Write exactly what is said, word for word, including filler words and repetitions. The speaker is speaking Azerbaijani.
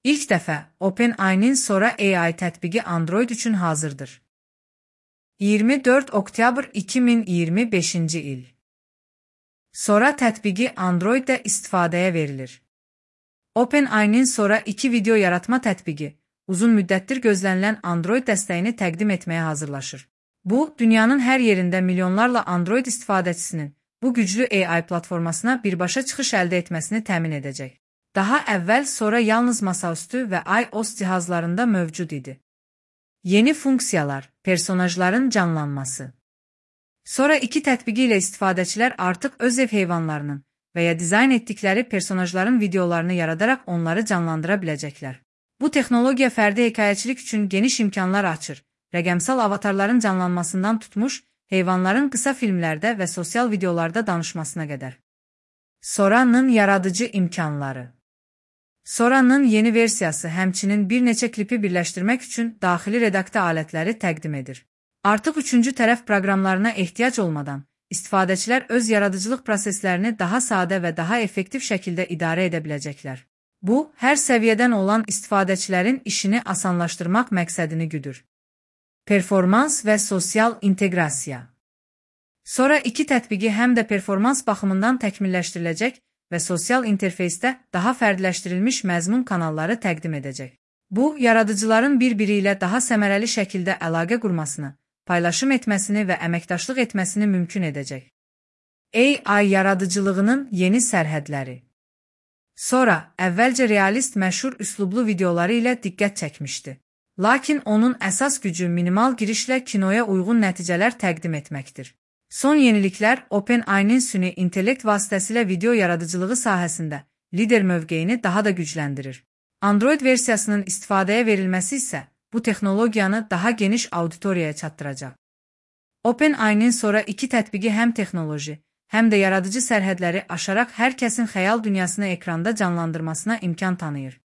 İlk dəfə OpenAI'nin Sora A I tətbiqi Android üçün hazırdır. iyirmi dörd oktyabr iki min iyirmi beşinci il. Sora tətbiqi Androiddə istifadəyə verilir. OpenAI'nin Sora iki video yaratma tətbiqi uzun müddətdir gözlənilən Android dəstəyini təqdim etməyə hazırlaşır. Bu, dünyanın hər yerində milyonlarla Android istifadəçisinin bu güclü A I platformasına birbaşa çıxış əldə etməsini təmin edəcək. Daha əvvəl Sora yalnız masaüstü və iOS cihazlarında mövcud idi. Yeni funksiyalar, personajların canlanması. Sora iki tətbiqi ilə istifadəçilər artıq öz ev heyvanlarının və ya dizayn etdikləri personajların videolarını yaradaraq onları canlandıra biləcəklər. Bu texnologiya fərdi hekayəçilik üçün geniş imkanlar açır, rəqəmsal avatarların canlanmasından tutmuş, heyvanların qısa filmlərdə və sosial videolarda danışmasına qədər. Sora'nın yaradıcı imkanları. Sora'nın yeni versiyası həmçinin bir neçə klipi birləşdirmək üçün daxili redaktə alətləri təqdim edir. Artıq üçüncü tərəf proqramlarına ehtiyac olmadan, istifadəçilər öz yaradıcılıq proseslərini daha sadə və daha effektiv şəkildə idarə edə biləcəklər. Bu, hər səviyyədən olan istifadəçilərin işini asanlaşdırmaq məqsədini güdür. Performans və sosial inteqrasiya. Sora iki tətbiqi həm də performans baxımından təkmilləşdiriləcək və sosial interfeysdə daha fərdləşdirilmiş məzmun kanalları təqdim edəcək. Bu, yaradıcıların bir-biri ilə daha səmərəli şəkildə əlaqə qurmasını, paylaşım etməsini və əməkdaşlıq etməsini mümkün edəcək. A I yaradıcılığının yeni sərhədləri. Sora, əvvəlcə realist məşhur üslublu videoları ilə diqqət çəkmişdi. Lakin onun əsas gücü minimal girişlə kinoya uyğun nəticələr təqdim etməkdir. Son yeniliklər OpenAI'nin süni intellekt vasitəsilə video yaradıcılığı sahəsində lider mövqeyini daha da gücləndirir. Android versiyasının istifadəyə verilməsi isə bu texnologiyanı daha geniş auditoriyaya çatdıracaq. OpenAI'nin Sora iki tətbiqi həm texnoloji, həm də yaradıcı sərhədləri aşaraq hər kəsin xəyal dünyasını ekranda canlandırmasına imkan tanıyır.